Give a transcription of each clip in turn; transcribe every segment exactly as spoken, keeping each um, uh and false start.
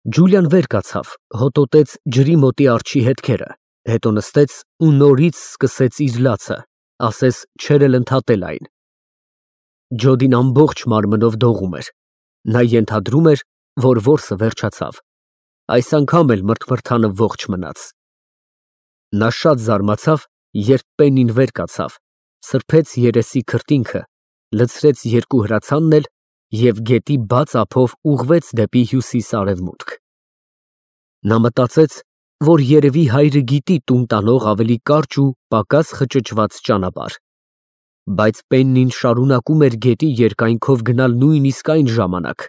Ջուլիան վեր կացավ, հոտոտեց ջրի մոտի արջի հետքերը, հետո նստեց ու նորից սկսեց իր լացը, ասես չէր էլ ընդհատել այն։ Ջոդին ամբողջ մարմնով դողում էր, նա ենթադրում էր, որ որսը վերջացավ, այս անգամ էլ մրթմրթանը ողջ մնաց։ Նա շատ զարմացավ, երբ Պեննին վեր կացավ, սրբեց երեսի քրտինքը, լցրեց երկու հրացանն էլ և գետի բաց ափով ուղղվեց դեպի հյուսիս֊արևմուտք։ Նա մտածեց, որ երևի հայրը գիտի տուն տանող ավելի կարճ ու պակաս խճճված ճանապարհ, բայց Պեննին շարունակում էր գետի երկայնքով գնալ նույնիսկ այն ժամանակ,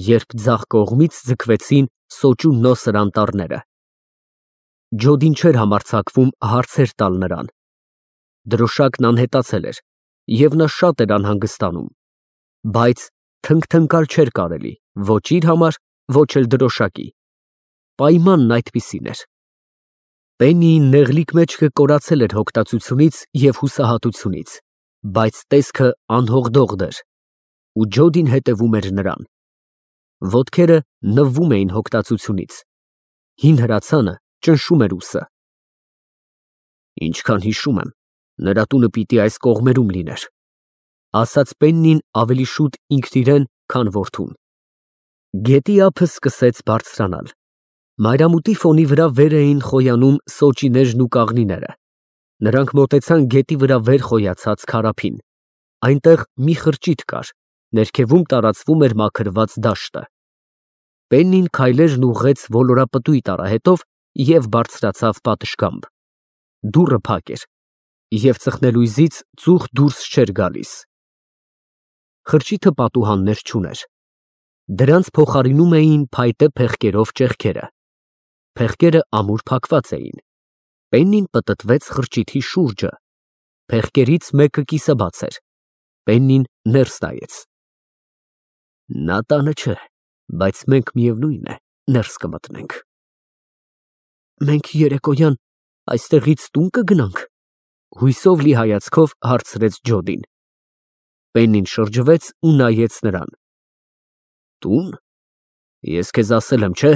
երբ ձախ կողմից ձգվեցին սոճու նոսր անտառները։ Ջոդին չէր համարձակվում հարցեր տալ նրան։ Դրոշակն անհետացել էր, և նա շատ էր անհանգստանում, բայց թնգթնկալ չէր կարելի ոչ իր համար, ոչ էլ դրոշակի։ Պայմանն այդպիսին էր։ Պեննիի նեղլիկ մեջքը կորացել էր հոգտածությունից և հուսահատությունից, բայց տեսքը անհողդողդ էր, ու Ջոդին հետևում էր նրան։ Ոտքերը նվվում էին հոգտածությունից, հին հրացանը ճնշում էր ուսը։ Ինչքան հիշում եմ, նրա տունը պիտի այս կողմերում լիներ, ասաց Պեննին ավելի շուտ ինքն իրեն, քան որդուն։ Գետի ափը սկսեց բարձրանալ։ Մայրամուտի ֆոնի վրա վեր էին խոյանում սոճիներն ու կաղնիները։ Նրանք մոտեցան գետի վրա վեր խոյացած քարափին։ Այնտեղ մի խրճիթ կար, ներքևում տարածվում էր մաքրված դաշտը։ Պեննին քայլերն ուղղեց ոլորապտույտ արահետով և բարձրացավ պատշգամբ։ Դուռը փակ էր, և ծխնելույզից ծուխ դուրս չէր գալիս։ Խրճիթը պատուհաններ չուներ։ Դրանց փոխարինում էին փայտե փեղկերով ճեղքերը։ Փեղկերը ամուր փակված էին։ Պեննին պտտվեց խրճիթի շուրջը։ Փեղկերից մեկը կիսաբաց էր։ Պեննին ներս նայեց։ Նա տանը չէ, բայց մենք միևնույն է ներս կմտնենք։ Մենք երեկոյան այստեղից տուն կգնա՞նք, հույսով լի հայացքով հարցրեց Ջոդին։ Պեննին շրջվեց ու նայեց նրան։ Տո՞ւն։ Ես քեզ ասել եմ, չէ՞,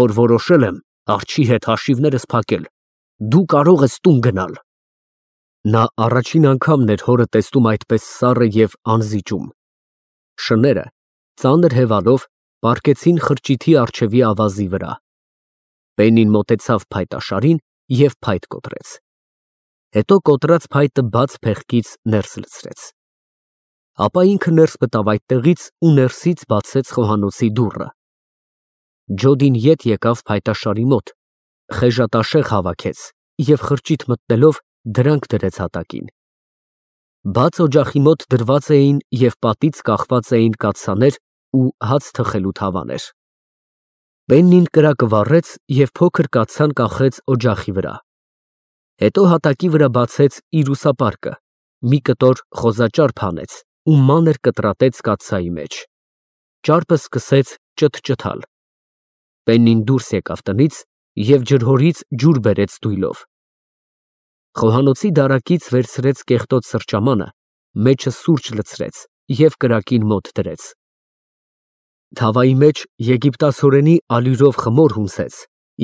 որ որոշել եմ արջի հետ հաշիվներս փակել, դու կարող ես տուն գնալ։ Նա առաջին անգամն էր հորը տեսնում այդպես սառը և անզիջում։ Շները, ծանր հևալով, պառկեցին խրճիթի առջևի ավազի վրա։ Պեննին մոտեցավ փայտաշարին և փայտ կոտրեց։ Հետո կոտրած փայտը բաց փեղկից ներս լցրեց։ Ապա ինքը ներս մտավ այդտեղից ու ներսից բացեց խոհանոցի դուռը։ Ջոդին ետ եկավ փայտաշարի մոտ, խեժատաշեղ հավաքեց և խրճիթ մտնելով դրանք դրեց հատակին։ Բաց օջախի մոտ դրված էին և պատից կախված էին կաթսաներ ու հաց թխելու թավաներ։ Պեննին կրակը վառեց և փոքր կաթսան կախեց օջախի վրա։ Հետո հատակի վրա բացեց իր ուսապարկը, մի կտոր խոզաճարպ հանեց ու մանր կտրատեց կաթսայի մեջ։ Ճարպը սկսեց ճթճթալ։ Պեննին դուրս եկավ տնից և ջրհորից ջուր բերեց դույլով։ Խոհանոցի դարակից վերցրեց կեղտոտ սրճամանը, մեջը սուրճ լցրեց և կրակին մոտ դրեց։ Թավայի մեջ եգիպտացորենի ալյուրով խմոր հունցեց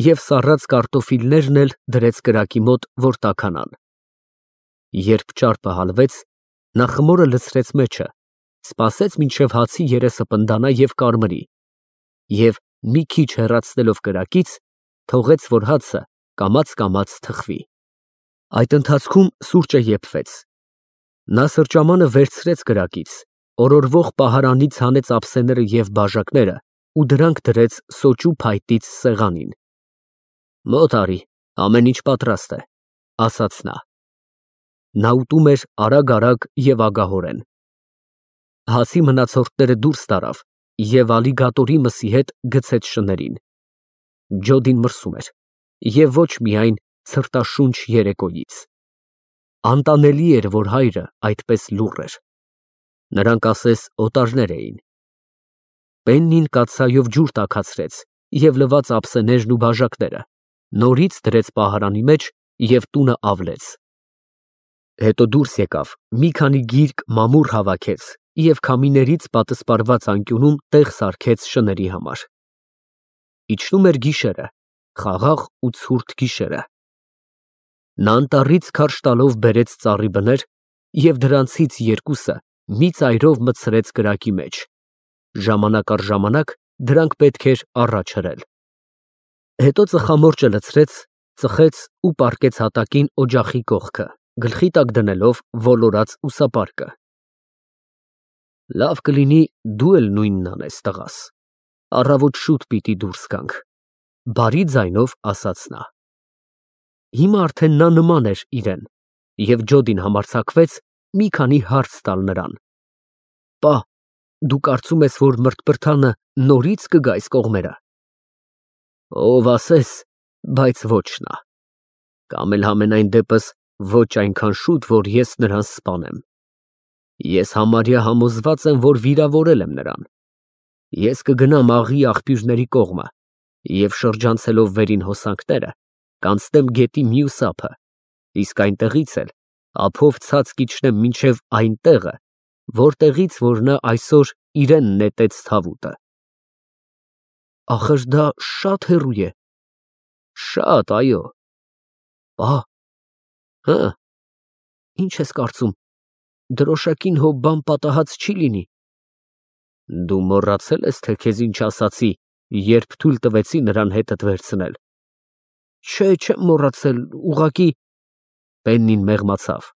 և սառած կարտոֆիլներն էլ դրեց կրակի մոտ, որ տաքանան։ Երբ ճարպը հալվեց, նա խմորը լցրեց մեջը, սպասեց մինչև հացի երեսը պնդանա և կարմրի, և մի քիչ հեռացնելով կրակից, թողեց, որ հացը կամաց֊կամաց թխվի։ Այդ ընթացքում սուրճը եփվեց։ Նա սրճամանը վերցրեց կրակից, օրորվող պահարանից հանեց ափսեները և բաժակները ու դրանք դրեց սոճու փայտից սեղանին։ Մոտ արի, ամեն ինչ պատրաստ է, ասաց նա։ Նա ուտում էր արագ֊արագ և ագահորեն։ Հացի մնացորդները դուրս տարավ և ալիգատորի մսի հետ գցեց շներին։ Ջոդին մրսում էր, և ոչ միայն ցրտաշունչ երեկոյից։ Անտանելի էր, որ հայրը այդպես լուռ էր։ Նրանք ասես օտարներ էին։ Պեննին կաթսայով ջուր տաքացրեց և լված ափսեներն ու բաժակները, նորից դրեց պահարանի մեջ և տունը ավլեց։ Հետո դուրս եկավ, մի քանի գիրկ մամուռ հավաքեց և քամիներից պատսպարված անկյունում տեղ սարքեց շների համար։ Իջնում էր գիշերը, խաղաղ ու ցուրտ գիշերը։ Նա անտառից քարշ տալով բերեց ծառի բներ և դրանցից երկուսը մի ծայրով մտցրեց կրակի մեջ, ժամանակ առ ժամանակ դրանք պետք էր առաջ հրել։ Հետո ծխամորճը լցրեց, ծխեց ու պառկեց հատակին օջախի կողքը, գլխի տակ դնելով ոլորած ուսապարկը։ Լավ կլինի դու էլ նույնն անես, տղաս, առավոտ շուտ պիտի դուրս գանք, բարի ձայնով ասաց նա։ Հիմա արդեն նա նման էր իրեն, և Ջոդին համարձակվեց մի քանի հարց տալ նրան։ Պա, դու կարծում ես, որ մրթպրթանը նորից կգա այս կողմերը։ Ով ասես, բայց ոչ նա, կամ էլ համենայն դեպս ոչ այնքան շուտ, որ ես նրան սպանեմ։ Ես համարյա համոզված եմ, որ վիրավորել եմ նրան։ Ես կգնամ աղի աղբյուրների կողմը և շրջանցելով վերին հոսանքները, կանցնեմ գետի մյուս ափը, իսկ այնտեղից էլ ափով ցած կիջնեմ մինչև այն տեղը, որտեղից որ նա այսօր իրեն նետեց թավուտը։ Ախր դա շատ հեռու է։ Շատ, այո։ Պա, հը, ինչ ես կարծում, դրոշակին հո բան պատահած չի լինի։ Դու մոռացել ես, թե քեզ ինչ ասացի, երբ թույլ տվեցի նրան հետդ վերցնել։ Չէ, չեմ մոռացել, ուղղակի… Պեննին մեղմացավ։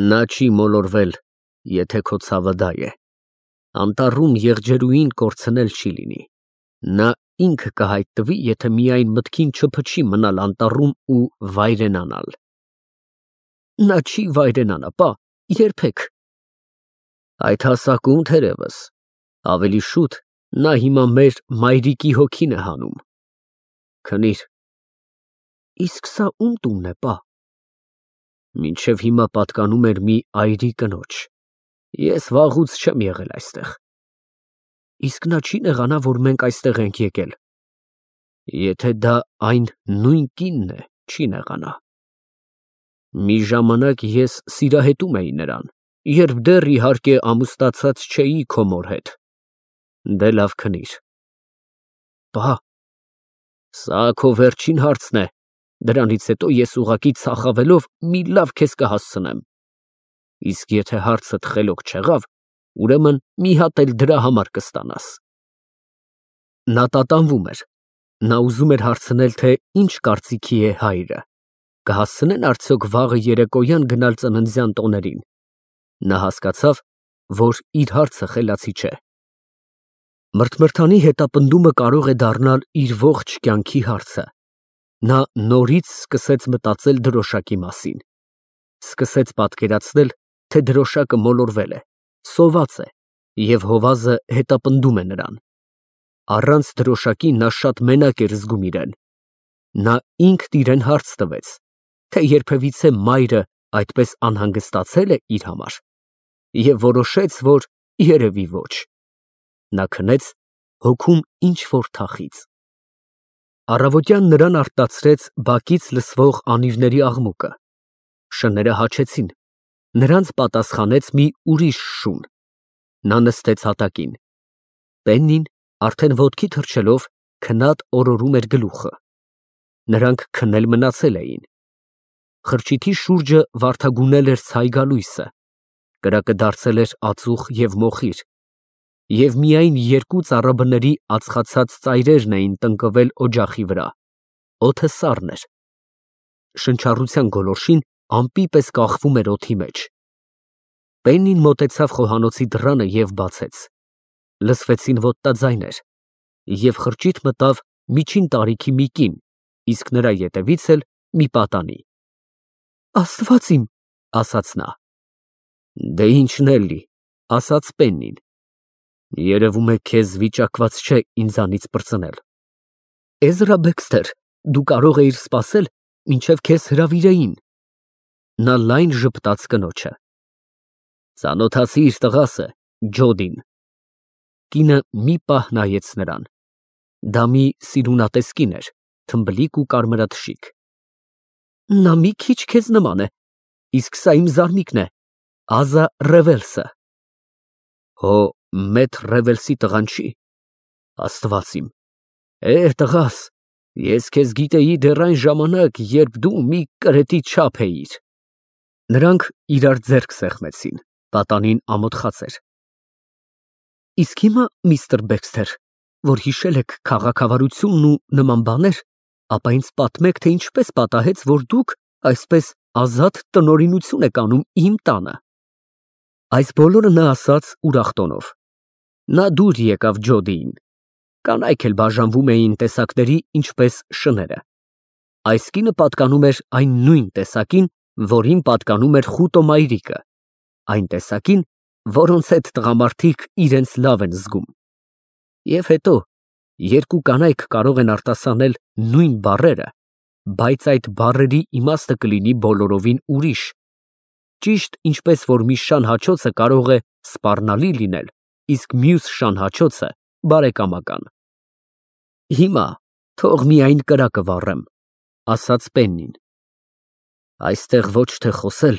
Նա չի մոլորվել, եթե քո ցավը դա է։ Անտառում եղջերուին կորցնել չի լինի։ Նա ինքը կհայտնվի, եթե միայն մտքին չփչի մնալ անտառում ու վայրենանալ։ Նա չի վայրենանա, պա, երբեք։ Այդ հասակում թերևս, ավելի շուտ նա հիմա մեր մայրիկի հոգին է հանում։ Քնիր։ Իսկ սա ում տունն է, պա։ Մինչև հիմա պատկանում էր մի այրի կնոջ։ Ես վաղուց չեմ եղել այստեղ։ Իսկ նա չի նեղանա, որ մենք այստեղ ենք եկել։ Եթե դա այն նույն կինն է, չի նեղանա։ Մի ժամանակ ես սիրահետում էի նրան, երբ դեռ իհարկե ամուսնացած չէի քո մոր հետ։ Դե լավ քնիր։ Պա, սա քո վերջին հարցն է, դրանից հետո ես ուղղակի ծախավելով մի լավ քեզ կհասցնեմ։ Իսկ եթե հարցդ խելոք չեղավ, ուրեմն մի հատ էլ դրա համար կստանաս։ Նա տատանվում էր։ Նա ուզում էր հարցնել, թե ինչ կարծիքի է հայրը, կհասցնեն արդյոք վաղը երեկոյան գնալ ծննդյան տոներին։ Նա հասկացավ, որ իր հարցը խելացի չէ։ Մրթմրթանի հետապնդումը կարող է դառնալ իր ողջ կյանքի հարցը։ Նա նորից սկսեց մտածել դրոշակի մասին։ Սկսեց պատկերացնել, թե դրոշակը մոլորվել է, սոված է, և հովազը հետապնդում է նրան։ Առանց դրոշակի նա շատ մենակ էր զգում իրեն։ Նա ինքն իրեն հարց տվեց, թե երբևիցե մայրը այդպես անհանգստացե՞լ է իր համար, և որոշեց, որ երևի ոչ։ Նա քնեց, հոգում ինչ֊որ թախիծ։ Առավոտյան նրան արթնացրեց բակից լսվող անիվների աղմուկը։ Շները հաչեցին, նրանց պատասխանեց մի ուրիշ շուն։ Նա նստեց հատակին։ Պեննին, արդեն ոտքի թռչելով, քնած օրորում էր գլուխը։ Նրանք քնել մնացել էին։ Խրճիթի շուրջը վարդագունել էր ցայգալույսը, կրակը դարձել էր ածուխ և մոխիր, և միայն երկու ծառաբների ածխացած ծայրերն էին տնկվել օջախի վրա, օդը սառն էր։ Շնչառության գոլորշին ամպի պես կախվում էր օդի մեջ։ Պեննին մոտեցավ խոհանոցի դռանը և բացեց։ Լսվեցին ոտնաձայներ, և խրճիթ մտավ միջին տարիքի մի կին, իսկ նրա ետևից էլ մի պատանի։ Աստված իմ, ասաց նա։ Դե ինչն էլի, ասաց Պեննին։ Երևում է քեզ վիճակված չէ ինձանից պրծնել։ Էզրա Բեքսթեր, դու կարող էիր սպասել, մինչև քեզ հրավիրեին։ Նա լայն ժպտաց կնոջը։ Ծանոթացի՞ր տղասը, Ջոդին։ Կինը մի պահ նայեց նրան։ Դա մի սիրունատես կին էր, թմբլիկ ու կարմրաթշիկ։ Նա մի քիչ քեզ նման է, իսկ սա իմ զարմիկն է, Ազա Ռևելսը։ Հո, Մեթր Ռևելսի տղան չի։ Աստված իմ, Է, տղաս, ես քեզ գիտեի դեռ այն ժամանակ, երբ դու մի կրետի չափ էիր։ Նրանք իրար ձեռք սեղմեցին, պատանին ամոթխած էր։ Իսկ հիմա, միստր Բեքսթեր, որ հիշել եք քաղաքավարությունն ու նման բաներ, ապա ինձ պատմեք, թե ինչպես պատահեց, որ դուք այսպես ազատ տնօրինություն եք անում իմ տանը։ Այս բոլորը նա ասաց ուրախ տոնով։ Նա դուր եկավ Ջոդիին։ Կանայք էլ բաժանվում էին տեսակների, ինչպես շները։ Այս կինը պատկանում էր այն նույն տեսակին, որին պատկանում էր խուտո մայրիկը, այն տեսակին, որոնց հետ տղամարդիկ իրենց լավ են զգում։ Եվ հետո, երկու կանայք կարող են արտասանել նույն բառերը, բայց այդ բառերի իմաստը կլինի բոլորովին ուրիշ, ճիշտ ինչպես որ մի շան հաչոցը կարող է սպառնալի լինել, իսկ մյուս շան հաչոցը բարեկամական։ Հիմա թող միայն կրակը վառեմ, ասաց Պեննին։ Այստեղ ոչ թե խոսել,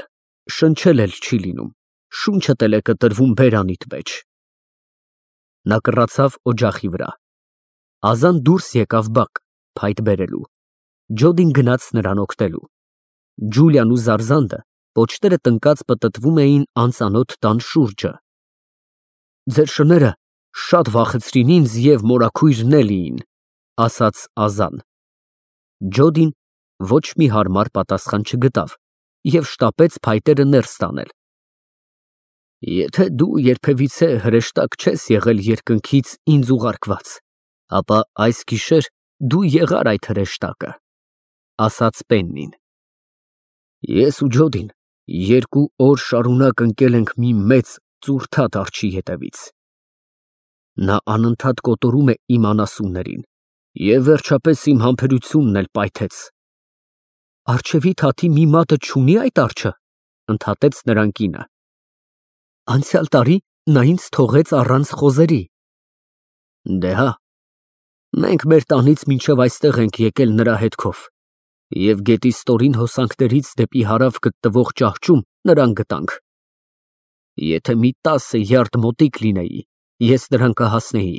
շնչել էլ չի լինում, շունչդ էլ է կտրվում բերանիդ մեջ։ Նա կռացավ օջախի վրա։ Ազան դուրս եկավ բակ, փայտ բերելու։ Ջոդին գնաց նրան օգնելու։ Ջուլիան ու Զարզանդը պոչները տնկած պտտվում էին անծանոթ տան շուրջը։ Ձեր շները շատ վախեցրին ինձ և մորաքույր Նելիին, ասաց Ազան։ Ջոդին ոչ մի հարմար պատասխան չգտավ և շտապեց փայտերը ներս տանել։ Եթե դու երբևիցե հրեշտակ չես եղել երկնքից ինձ ուղարկված, ապա այս գիշեր դու եղար այդ հրեշտակը, ասաց Պեննին։ Ես ու Ջոդին երկու օր շարունակ ընկել ենք մի մեծ ծուռթատ արջի հետևից։ Նա անընդհատ կոտորում է իմ անասուններին և վերջապես իմ համբերությունն էլ պայթեց։ Արջևի թաթի մի մատը չունի այդ արջը, ընդհատեց նրան կինը։ Անցյալ տարի նա ինձ թողեց առանց խոզերի։ Դե հա, մենք մեր տանից մինչև այստեղ ենք եկել նրա հետքով, և գետի ստորին հոսանքներից դեպի հարավ գտնվող ճահճում նրան գտանք։ Եթե մի տասը յարդ մոտիկ լինեի, ես նրան կհասնեի։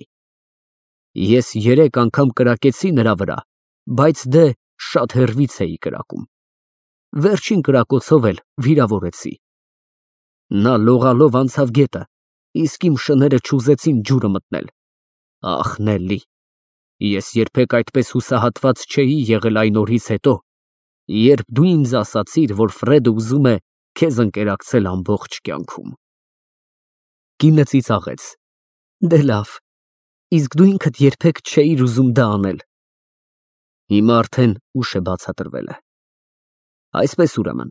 Ես երեք անգամ կրակեցի նրա վրա, բայց դե շատ հեռվից էի կրակում։ Վերջին կրակոցով էլ վիրավորեցի։ Նա լողալով անցավ գետը, իսկ իմ շները չուզեցին ջուրը մտնել։ Ախ, Նելլի, ես երբեք այդպես հուսահատված չէի եղել այն օրից հետո, երբ դու ինձ ասացիր, որ Ֆրեդը ուզում է քեզ ընկերակցել ամբողջ կյանքում։ Կինը ծիծաղեց։ Դե լավ, իսկ դու ինքդ երբեք չէիր ուզում դա անել։ Հիմա արդեն ուշ է բացատրվել է։ Այսպես ուրեմն,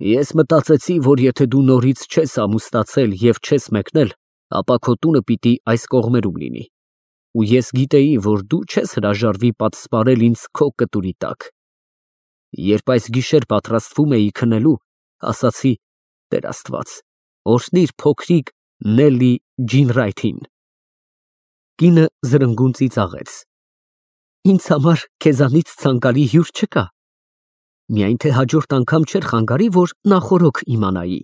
ես մտածեցի, որ եթե դու նորից չես ամուսնացել և չես մեկնել, ապա քո տունը պիտի այս կողմերում լինի, ու ես գիտեի, որ դու չես հրաժարվի պատսպարել ինձ քո կտուրի տակ։ Երբ այս գիշեր պատրաստվում էի քնելու, ասացի. Տեր Աստված, օրհնիր փոքրիկ Նելլի Ջինրայթին։ Կինը զրնգուն ծիծաղեց։ Ինձ համար քեզանից ցանկալի հյուր չկա։ Միայն թե հաջորդ անգամ չէր խանգարի, որ նախօրոք իմանայի։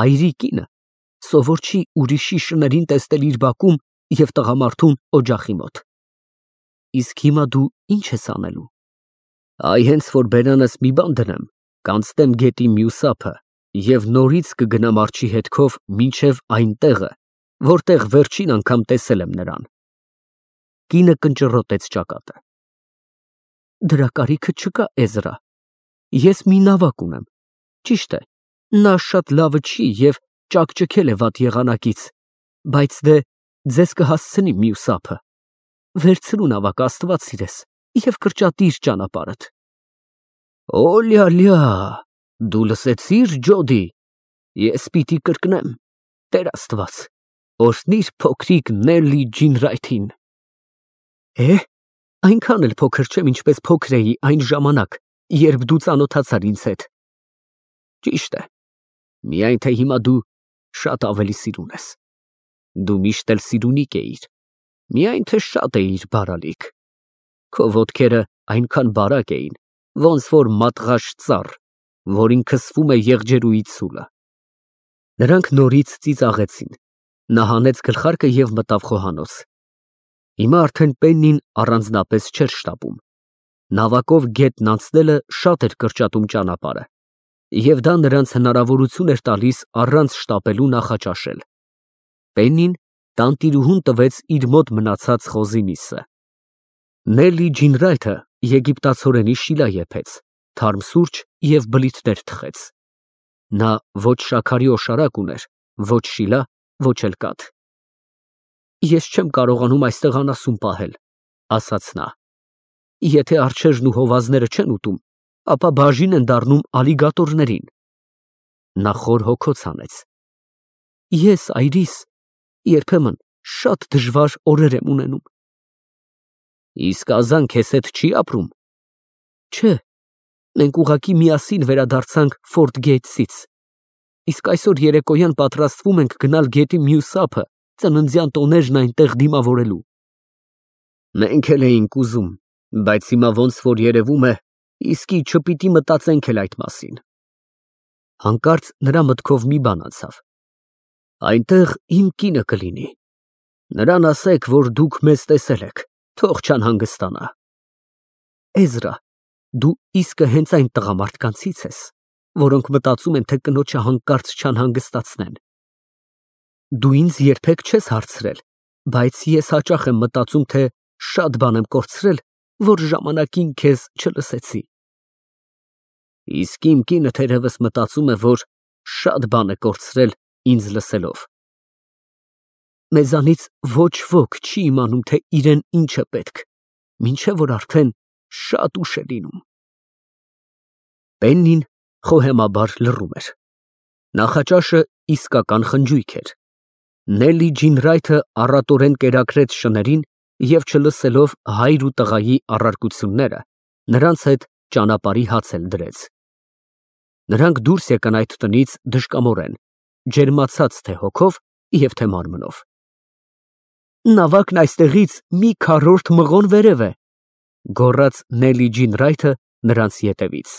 Այրի կինը սովոր չի ուրիշի շներին տեսնել իր բակում և տղամարդուն օջախի մոտ։ Իսկ հիմա դու ինչ ես անելու։ Այ հենց որ բերանս մի բան դնեմ, կանցնեմ գետի մյուս ափը և նորից կգնամ արջի հետքով մինչև այն տեղը, որտեղ վերջին անգամ տեսել եմ նրան։ Կինը կնճռոտեց ճակատը։ Դրա կարիքը չկա, Էզրա։ Ես մի նավակ ունեմ։ Ճիշտ է, նա շատ լավը չի և ճաքճքել է վատ եղանակից, բայց դե ձեզ կհասցնի մյուս ափը։ Վերցրու նավակը, Աստված սիրես, և կրճատիր ճանապարհդ։ Օ լյալյա, դու լսեցի՞ր, Ջոդի, ես պիտի կրկնեմ, Տեր Աստված, օրհնիր փոքրիկ Նելլի Ջինրայթին։ Է, այնքան էլ փոքր չեմ, ինչպես փոքր էի այն ժամանակ, երբ դու ծանոթացար ինձ հետ։ Ճիշտ է, միայն թե հիմա դու շատ ավելի սիրուն ես։ Դու միշտ էլ սիրունիկ էիր, միայն թե շատ էիր բարալիկ։ Քո ոտքերը այնքան բարակ էին, ոնց որ մատղաշ ծառ, որին քսվում է եղջերուի ցուլը։ Նրանք նորից ծիծաղեցին։ Նա հանեց գլխարկը և մտավ խոհանոց։ Հիմա արդեն Պեննին առանձնապես չէր շտապում։ Նավակով գետն անցնելը շատ էր կրճատում ճանապարհը, և դա նրանց հնարավորություն էր տալիս առանց շտապելու նախաճաշել։ Պեննին տանտիրուհուն տվեց իր մոտ մնացած խոզի միսը։ Նելի Ջինրայթը եգիպտացորենի շիլա եփեց, թարմ սուրճ և բլիթներ թխեց։ Նա ոչ շաքարի օշարակ ուներ, ոչ շիլա, ոչ էլ կաթ։ Ես չեմ կարողանում այստեղ անասուն պահել, ասաց նա։ Եթե արջերն ու հովազները չեն ուտում, ապա բաժին են դառնում ալիգատորներին։ Նա խոր հոգոց հանեց։ Ես, այրիս, երբեմն շատ դժվար օրեր եմ ունենում։ Իսկ Ազան քեզ հետ չի ապրում։ Չէ, մենք ուղղակի միասին վերադարձանք Ֆորտ Գեյթսից, իսկ այսօր երեկոյան պատրաստվում ենք գնալ գետի մյուս ափը, ծննդյան տոներն այնտեղ դիմավորելու։ Մենք էլ էինք ուզում, բայց հիմա ոնց որ երևում է, իսկի չպիտի մտածենք էլ այդ մասին։ Հանկարծ նրա մտքով մի բան անցավ։ Այնտեղ իմ կինը կլինի։ Նրան ասեք, որ դուք մեզ տեսել եք, թող չանհանգստանա։ Էզրա, դու իսկը հենց այն տղամարդկանցից ես, որոնք մտածում են, թե կնոջը հանկարծ չանհանգստացնեն։ Դու ինձ երբեք չես հարցրել, բայց ես հաճախ եմ մտածում, թե շատ բան եմ կորցրել, որ ժամանակին քեզ չլսեցի։ Իսկ իմ կինը թերևս մտածում է, որ շատ բան է կորցրել ինձ լսելով։ Մեզանից ոչ ոք չի իմանում, թե իրեն ինչ է պետք, մինչև որ արդեն շատ ուշ է լինում։ Պեննին խոհեմաբար լռում էր։ Նախաճաշը իսկական խնջույք էր։ Նելի Ջինրայթը առատորեն կերակրեց շներին և չլսելով հայր ու տղայի առարկությունները, նրանց հետ ճանապարհի հաց էլ դրեց։ Նրանք դուրս եկան այդ տնից դժկամորեն, ջերմացած թե հոգով և թե մարմնով։ Նավակն այստեղից մի քառորդ մղոն վերև է, գոռաց Նելի Ջինրայթը նրանց ետևից։